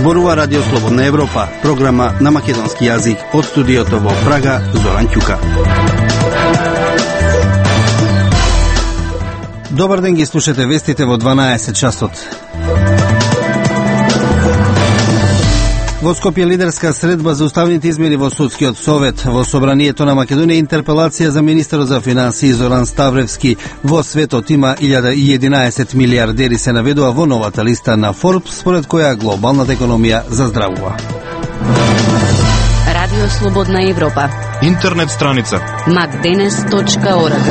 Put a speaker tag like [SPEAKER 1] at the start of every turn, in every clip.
[SPEAKER 1] Зборува Радио Слободна Европа, програма на македонски јазик од студиото во Прага, Зоран Ќука. Добар ден, ги слушате вестите во 12 часот. Во Скопје лидерска средба за уставните измени во Судскиот совет. Во Собранието на Македонија интерпелација за министерот за финансии Зоран Ставревски. Во светот има 1011 милиардери се наведува во новата листа на Forbes, според која глобалната економија заздравува.
[SPEAKER 2] Радио Слободна Европа.
[SPEAKER 3] Интернет страница
[SPEAKER 2] macdenes.org.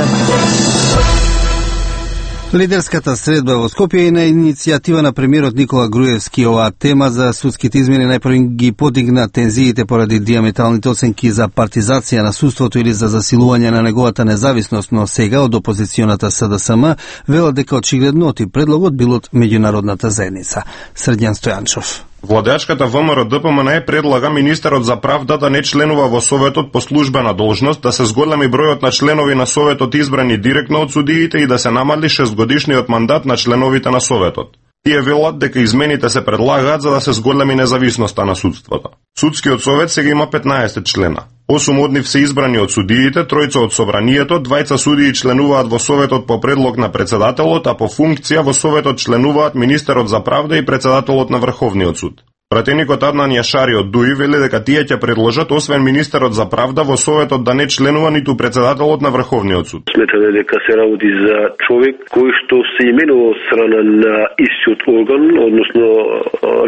[SPEAKER 1] Лидерската средба во Скопје е на иницијатива на премиерот Никола Груевски. Оваа тема за судските измени најпрво ги подигна тензиите поради диаметралните оценки за партизација на судството или за засилување на неговата независност, но сега од опозиционата СДСМ велат дека очигледно оти предлогот бил од меѓународната заедница. Срдјан Стојанчов.
[SPEAKER 3] Владеачката ВМРО-ДПМН предлага министерот за правда да не членува во Советот по службена должност, да се зголеми бројот на членови на Советот избрани директно од судиите и да се намали 6-годишниот мандат на членовите на Советот. Тие велат дека измените се предлагаат за да се зголеми независноста на судството. Судскиот совет сега има 15 члена. 8 од нив се избрани од судиите, 3 од Собранието, 2 судии членуваат во Советот по предлог на председателот, а по функција во Советот членуваат министерот за правда и председателот на Врховниот суд. Пратеникот Аднан Јашари од ДУИ вели дека тие ќе предложат освен министерот за правда во Советот да не членува ниту председателот на Врховниот суд.
[SPEAKER 4] Сметаме дека се работи за човек кој што се именува од страна на истиот орган, односно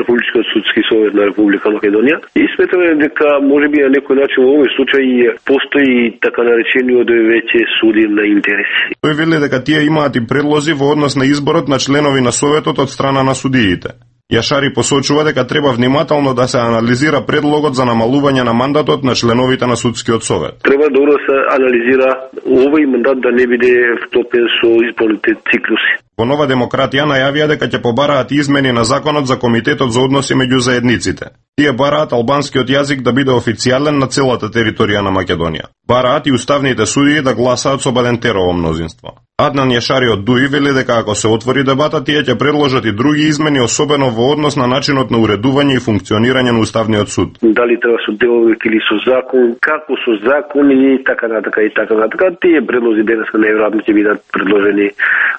[SPEAKER 4] Републичкиот судски совет на Република Македонија, и сметаме дека можеби на некој начин во овој случај постои така наречениот веќе судир на интереси.
[SPEAKER 3] Тој вели дека тие имаат и предлози во однос на изборот на членови на Советот од страна на судиите. Јашари посочува дека треба внимателно да се анализира предлогот за намалување на мандатот на членовите на Судскиот совет.
[SPEAKER 4] Треба добро да се анализира овој мандат да не биде вклопен со изборните циклуси.
[SPEAKER 3] Во Нова демократија најавија дека ќе побараат измени на законот за Комитетот за односи меѓу заедниците. Тие бараат албанскиот јазик да биде официјален на целата територија на Македонија. Бараат и уставните судии да гласаат со бадентерово мнозинство. Аднан Јашари од ДУИ вели дека ако се отвори дебата, тие ќе предложат и други измени, особено во однос на начинот на уредување и функционирање на Уставниот суд.
[SPEAKER 4] Дали треба со деловик или со закон, како со закон и така натака и така натака. Тие предлози денеска најверојатно ќе бидат предложени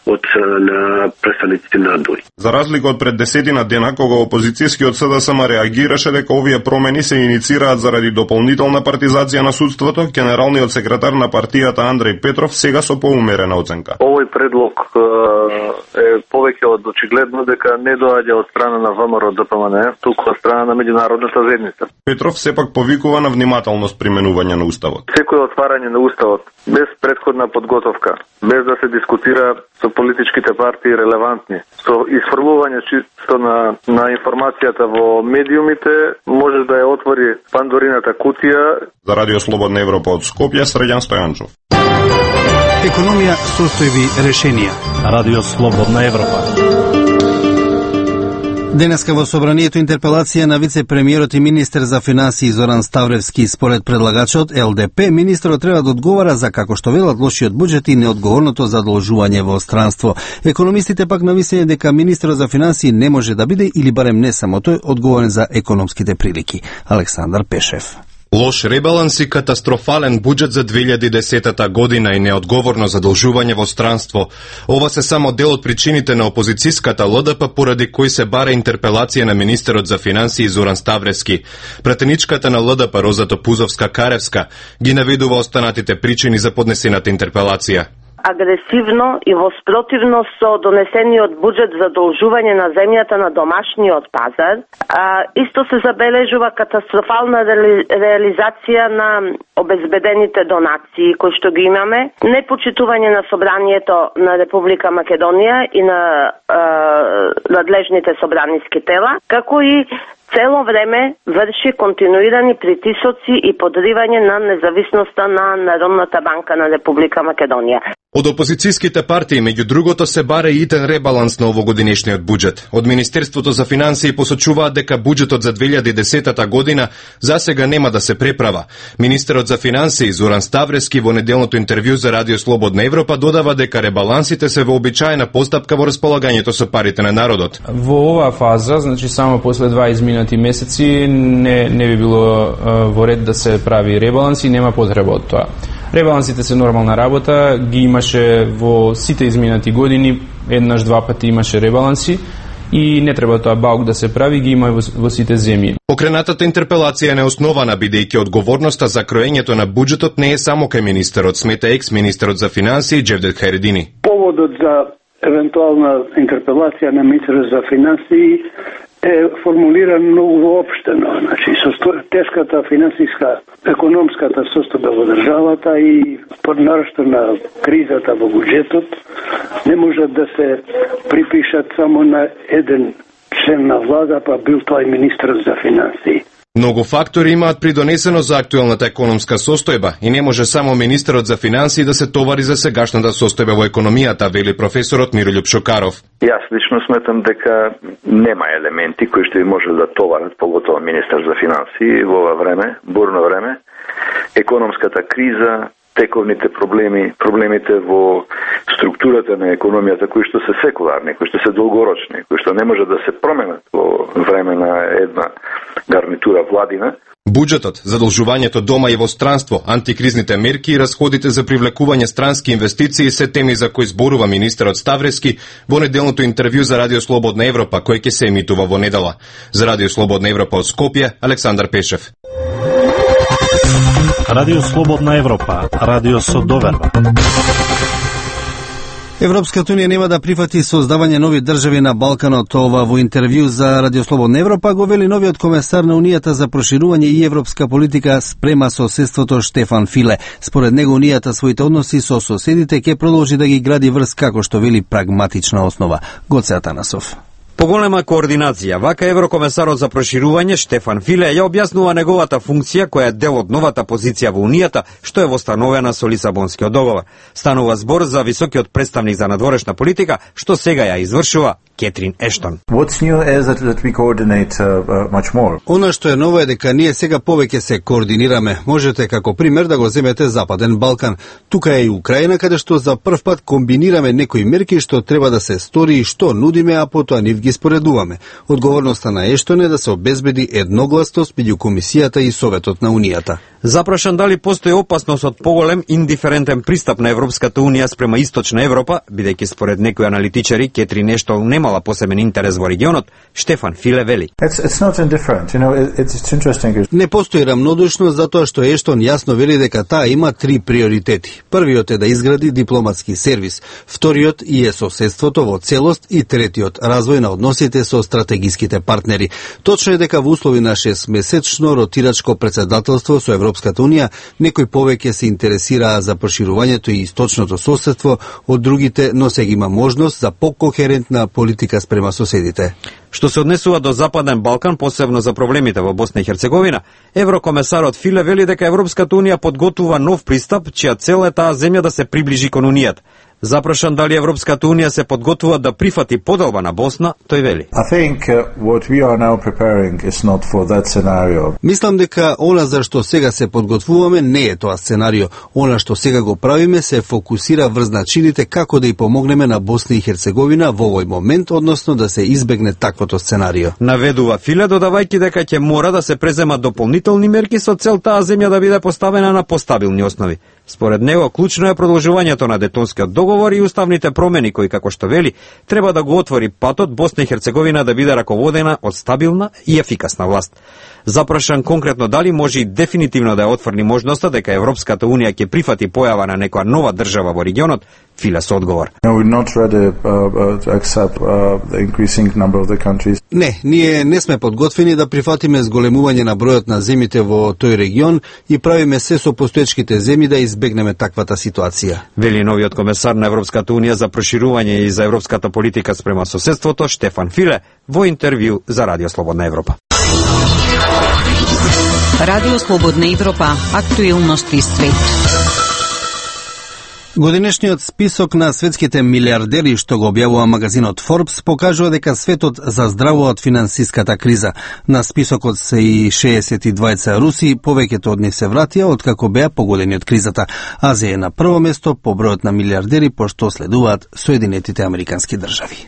[SPEAKER 4] од на представниците на ДУИ.
[SPEAKER 3] За разлика од пред 10 дена, кога опозицијскиот СДСМ реагираше дека овие промени се иницираат заради дополнителна партизација на судството, генералниот секретар на партијата Андреј Петров сега со поумерена оценка.
[SPEAKER 5] Овој предлог е повеќе од очигледно дека не доаѓа од страна на ВМРО-ДПМН, туку од страна на меѓународната заедница.
[SPEAKER 3] Петров сепак повикува на внимателност применување на Уставот.
[SPEAKER 5] Секој отварање на Уставот без претходна подготовка, без да се дискутира со политичките партии релевантни, со исфрлување чисто на информацијата во медиумите, може да ја отвори пандорината кутија.
[SPEAKER 3] За Радио Слободна Европа од Скопје, Срдјан Стојанчов.
[SPEAKER 1] Економија, состојби, решенија.
[SPEAKER 6] Радио Слободна Европа.
[SPEAKER 1] Денеска во Собранието интерпелација на вице-премиерот и министер за финансии Зоран Ставревски. Според предлагачот ЛДП, министерот треба да одговара за, како што велат, лошиот буџет и неодговорното задолжување во странство. Економистите пак нависење дека министерот за финансии не може да биде, или барем не само тој, одговорен за економските прилики. Александар Пешев.
[SPEAKER 7] Лош ребаланс и катастрофален буџет за 2010 година и неодговорно задолжување во странство. Ова се само дел од причините на опозицијската ЛДП поради кои се бара интерпелација на министерот за финансии Зоран Ставревски. Пратеничката на ЛДП Роза Топузовска-Каревска ги наведува останатите причини за поднесената интерпелација.
[SPEAKER 8] Агресивно и во спротивно со донесениот буџет за должување на земјата на домашниот пазар, исто се забележува катастрофална реализација на обезбедените донации кои што ги имаме, непочитување на собранието на Република Македонија и на надлежните собраниски тела, како и цело време врши континуирани притисоци и подривање на независноста на Народната банка на Република Македонија.
[SPEAKER 7] Од опозицијските партии, меѓу другото, се баре и итен ребаланс на овогодинешниот буџет. Од Министерството за финансии посочуваат дека буџетот за 2010 година засега нема да се преправа. Министерот за финансии Зоран Ставрески во неделното интервју за Радио Слободна Европа додава дека ребалансите се вообичаена постапка во располагањето со парите на народот.
[SPEAKER 9] Во оваа фаза, значи само после 2 изминати месеци, не би било во ред да се прави ребаланс и нема потреба од тоа. Ребалансите се нормална работа, ги имаше во сите изминати години, еднаш, два пати имаше ребаланси и не треба тоа баук да се прави, ги има во сите земји.
[SPEAKER 7] Покренатата интерпелација е неоснована, бидејќи одговорноста за кроењето на буџетот не е само кај министерот, смета екс-министерот за финансии Джевдет Хајредини.
[SPEAKER 10] Поводот за евентуална интерпелација на министерот за финансии е формулиран многу воопштено. Значи, тешката финансиска, економската состојба во државата и поднарашто на кризата во буџетот не можат да се припишат само на еден член на влада, па бил тој министерот за финансии.
[SPEAKER 7] Многу фактори имаат придонесено за актуелната економска состојба и не може само министерот за финансии да се товари за сегашната состојба во економијата, вели професорот Мирољуб Шокаров.
[SPEAKER 5] Јас лично сметам дека нема елементи кои што би можели да товарат, поготово министер за финансии во ова време, бурно време, економската криза, тековните проблеми, проблемите во структурата на економијата кои што се секуларни, кои што се долгорочни, кои што не може да се променат во време на една гарнитура владина.
[SPEAKER 7] Буџетот, задолжувањето дома и во странство, антикризните мерки и расходите за привлекување странски инвестиции се теми за кои зборува министерот Ставрески во неделното интервју за Радио Слободна Европа, кој ќе се емитува во недела. За Радио Слободна Европа од Скопје, Александар Пешев.
[SPEAKER 6] Радио Слободна Европа, радио со доверба.
[SPEAKER 1] Европската унија нема да прифати создавање нови држави на Балканот. Ова во интервју за Радио Слободна Европа го вели новиот комесар на Унијата за проширување и европска политика спрема соседството Штефан Филе. Според него Унијата своите односи со соседите ќе продолжи да ги гради врз како што вели прагматична основа. Гоце Атанасов.
[SPEAKER 11] Поголема координација, вака еврокомесарот за проширување Штефан Филе ја објаснува неговата функција која е дел од новата позиција во Унијата, што е востановена со Лисабонскиот договор. Станува збор за високиот представник за надворешна политика, што сега ја извршува Кетрин Ештон.
[SPEAKER 1] Она што е ново е дека ние сега повеќе се координираме. Можете како пример да го земете Западен Балкан. Тука е и Украина, каде што за прв пат комбинираме некои мерки што треба да се стори и што нудиме, а потоа нив ги споредуваме. Одговорноста на Ештон е да се обезбеди едногласност меѓу Комисијата и Советот на Унијата.
[SPEAKER 11] Запрашан дали постои опасност од поголем индиферентен пристап на Европската Унија спрема Источна Европа, бидејќи според некои аналитичари Кетрин Ештон немала посебен интерес во регионот, Штефан Филе вели.
[SPEAKER 1] Не постои рамнодушност затоа што Ештон јасно вели дека таа има 3 приоритети. Првиот е да изгради дипломатски сервис, вториот и е соседството во целост и третиот развој на односите со стратегиските партнери. Точно е дека во услови на 6-месечно ротирачко председателство со Европската Унија, некои повеќе се интересираа за проширувањето и источното соседство од другите, но сега има можност за покохерентна политика спрема соседите.
[SPEAKER 11] Што се однесува до Западен Балкан, посебно за проблемите во Босна и Херцеговина, еврокомесарот Филе вели дека Европската Унија подготвува нов пристап, чија цел е таа земја да се приближи кон Унијата. Запрашан дали Европската Унија се подготвува да прифати поделба на Босна, тој вели.
[SPEAKER 1] Мислам дека она за што сега се подготвуваме не е тоа сценарио. Она што сега го правиме се фокусира врз начините како да и помогнеме на Босна и Херцеговина во овој момент, односно да се избегне таквото сценарио.
[SPEAKER 11] Наведува Филе, додавајќи дека ќе мора да се преземат дополнителни мерки со цел таа земја да биде поставена на постабилни основи. Според него, клучно е продолжувањето на Детонскиот договор и уставните промени кои, како што вели, треба да го отвори патот Босна и Херцеговина да биде раководена од стабилна и ефикасна власт. Запрашан конкретно дали може и дефинитивно да ја отфрли можноста дека Европската Унија ќе прифати појава на некоја нова држава во регионот, Филе со одговор.
[SPEAKER 1] Не, ние не сме подготвени да прифатиме зголемување на бројот на земјите во тој регион и правиме се со постоечките земји да избегнеме таквата ситуација.
[SPEAKER 11] Вели новиот комесар на Европската Унија за проширување и за европската политика спрема соседството Штефан Филе во интервју за Радио Слободна Европа.
[SPEAKER 2] Радио Слободна Европа, актуелности свет.
[SPEAKER 1] Годинешниот список на светските милиардери што го објавува магазинот Forbes покажува дека светот заздравува од финансиската криза. На списокот се и 62 руси, повеќето од нив се вратија откако беа погодени од кризата. Азија е на прво место по бројот на милиардери, пошто следуваат Соединетите Американски држави.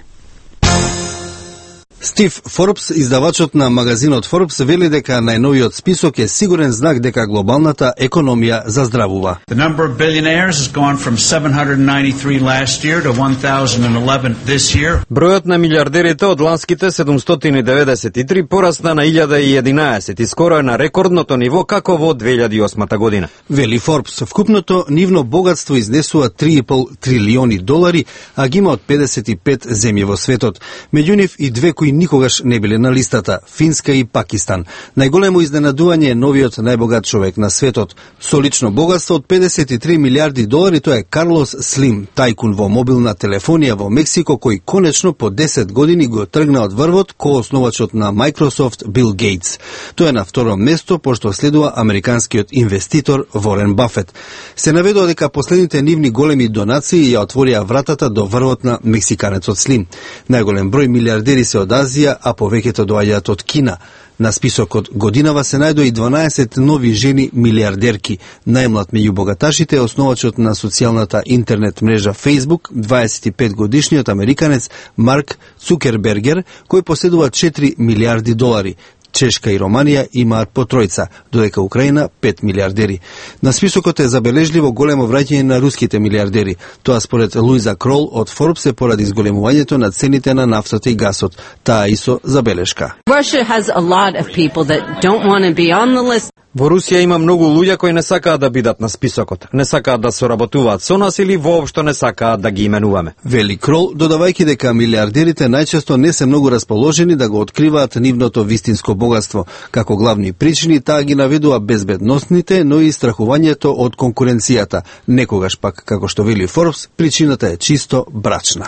[SPEAKER 1] Стив Форбс, издавачот на магазинот Forbes, вели дека најновиот список е сигурен знак дека глобалната економија заздравува.
[SPEAKER 12] The number of billionaires has gone from 793 last year to 1011 this year.
[SPEAKER 11] Бројот на милиардерите од ланските 793 порасна на 1011 и скоро е на рекордното ниво како во 2008 година.
[SPEAKER 1] Вели Forbes, вкупното нивно богатство изнесува 3,5 трилиони долари, а ги има од 55 земји во светот. Меѓу нив и две кои никогаш не биле на листата – Финска и Пакистан. Најголемо изненадување е новиот најбогат човек на светот. Со лично богатство од 53 милиарди долари, тоа е Карлос Слим, тајкун во мобилна телефонија во Мексико, кој конечно по 10 години го тргна од врвот ко основачот на Microsoft Бил Гейтс. Тоа е на второ место, пошто следува американскиот инвеститор Ворен Бафет. Се наведува дека последните нивни големи донации ја отворија вратата до врвот на мексиканецот Слим. Најголем број милиардери се од Азија, а повеќето доаѓаат од Кина. На списокот годинава се најдоа и 12 нови жени милиардерки. Најмлад меѓу богаташите е основачот на социјалната интернет мрежа Facebook, 25 годишниот американец Марк Цукербергер, кој поседува 4 милиарди долари. Чешка и Романија имаат по тројца, додека Украина 5 милиардери. На списокот е забележливо големо враќање на руските милиардери. Тоа според Луиза Крол од Forbes е поради зголемувањето на цените на нафтата и гасот. Таа исо забелешка.
[SPEAKER 2] Russia has a lot of people that don't want to be on the list.
[SPEAKER 11] Во Русија има многу луѓе кои не сакаат да бидат на списокот, не сакаат да соработуваат со нас или воопшто не сакаат да ги именуваме.
[SPEAKER 1] Вели Крол, додавајќи дека милиардерите најчесто не се многу расположени да го откриваат нивното вистинско богатство. Како главни причини таа ги наведува безбедносните, но и страхувањето од конкуренцијата. Некогаш пак, како што вели Forbes, причината е чисто брачна.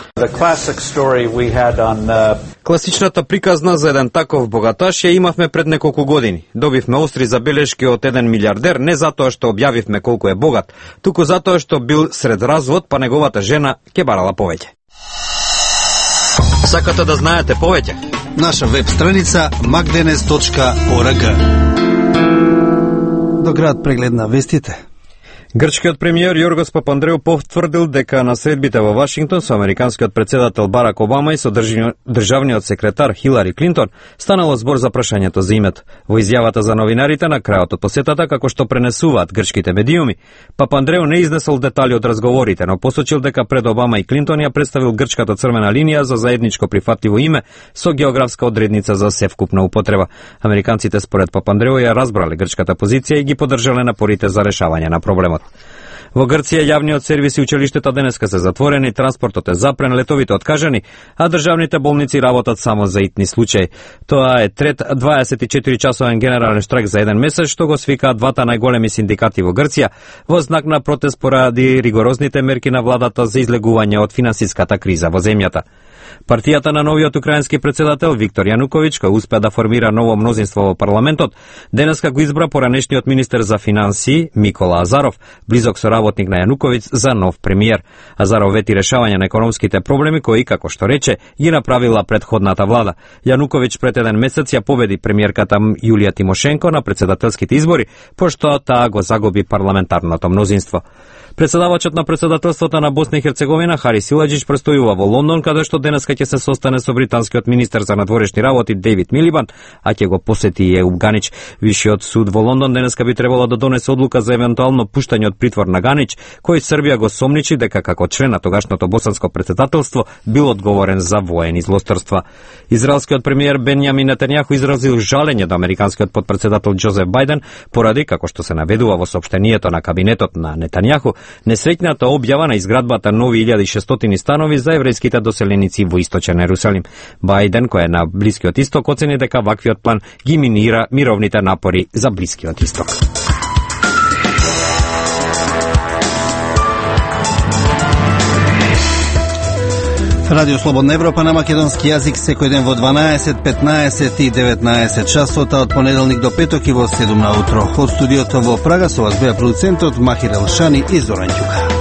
[SPEAKER 11] Класичната приказна за еден таков богаташ ја имавме пред неколку години. Добивме остри забелешки од еден милиардер не затоа што објавивме колку е богат, туку затоа што бил сред развод, па неговата жена ќе барала повеќе. Сакате да знаете повеќе?
[SPEAKER 1] Наша веб страница magdenes.org. До град преглед на вестите.
[SPEAKER 11] Грчкиот премиер Јоргос Папандреу потврдил дека на средбите во Вашингтон со американскиот председател Барак Обама и со државниот секретар Хилари Клинтон станало збор за прашањето за името. Во изјавата за новинарите на крајот од посетата, како што пренесуваат грчките медиуми, Папандреу не изнесол детали од разговорите, но посочил дека пред Обама и Клинтон ја представил грчката црвена линија за заедничко прифатливо име со географска одредница за севкупна употреба. Американците според Папандреу ја разбрале грчката позиција и ги поддржале напорите за решавање на проблемот. Во Грција јавниот сервис и училиштата денеска се затворени, транспортот е запрен, летовите откажани, а државните болници работат само за итни случаи. Тоа е трет 24-часовен генерален штрајк за еден месец, што го свикаат двата најголеми синдикати во Грција, во знак на протест поради ригорозните мерки на владата за излегување од финансиската криза во земјата. Партијата на новиот украински председател Виктор Јануковиќ, кој успеа да формира ново мнозинство во парламентот, денеска го избра поранешниот министер за финансии Микола Азаров, близок соработник на Јануковиќ, за нов премиер. Азаров вети решавање на економските проблеми кои, како што рече, ги направила претходната влада. Јануковиќ пред еден месец ја победи премиерката Јулија Тимошенко на председателските избори, пошто таа го загуби парламентарното мнозинство. Председавачот на председателството на Босна и Херцеговина Хари Силаджич престојува во Лондон, каде што денеска ќе се состане со британскиот министер за надворешни работи Дејвид Милибан, а ќе го посети и Еуп Ганич. Висшиот суд во Лондон денеска би требало да донесе одлука за евентуално пуштање од притвор на Ганич, кој Србија го сомничи дека како член на тогашното босанско претседателство бил одговорен за воени злосторства. Израелскиот премиер Бенјамин Нетањаху изразил жалење до американскиот потпредседател Џозеф Бајден поради, како што се наведува во соопштението на кабинетот на Нетањаху, несреќната објава на изградбата нови 1600 станови за еврејските доселеници во источен Ерусалим. Бајден, кој е на Блискиот исток, оцени дека ваквиот план ги минира мировните напори за Блискиот исток.
[SPEAKER 1] Радио Слободна Европа на македонски јазик секој ден во 12, 15 и 19 часот, од понеделник до петок и во 7 на утро. Од студиото во Прага со вас беа продуцентот Махир Елшани и Зоран Ѓука.